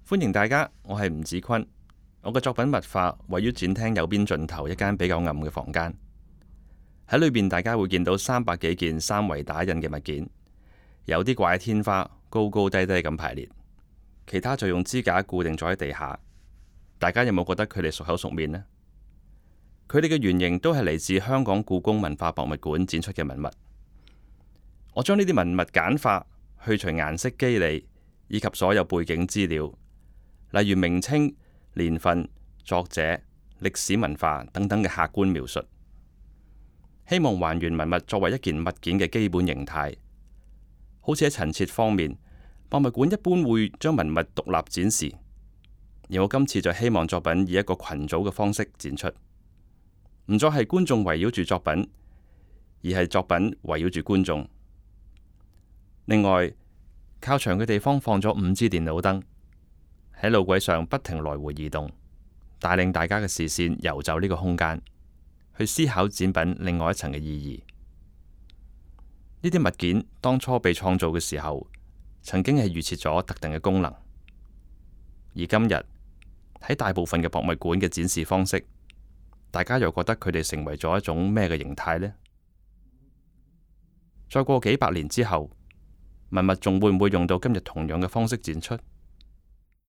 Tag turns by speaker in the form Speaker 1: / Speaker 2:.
Speaker 1: 歡迎大家，我係吳子坤。我嘅作品物化位於展廳右邊盡頭一間比較暗嘅房間，喺裏邊大家會見到300幾件三維打印嘅物件，有啲掛喺天花，高高低低咁排列，其他就用支架固定咗喺地下。大家有冇覺得佢哋熟口熟面呢？佢哋嘅原型都係嚟自香港故宮文化博物館展出嘅文物。我將呢啲文物簡化，去除顏色肌理以及所有背景資料，例如名稱、年份、作者、歷史文化等等嘅客觀描述，希望還原文物作為一件物件嘅基本形態。好似喺陳設方面，博物館一般會將文物獨立展示，而我今次就希望作品以一個群組嘅方式展出，唔再係觀眾圍繞住作品，而係作品圍繞住觀眾。另外，靠牆嘅地方放咗5支電腦燈，喺路軌上不停來回移動，帶領大家嘅視線遊走呢個空間，去思考展品另外一層嘅意義。呢啲物件當初被創造嘅時候，曾經係預設咗特定嘅功能，而今日喺大部分嘅博物館嘅展示方式，大家又覺得佢哋成為咗一種咩嘅形態呢？再過幾百年之後，文物仲會唔會用到今日同樣嘅方式展出？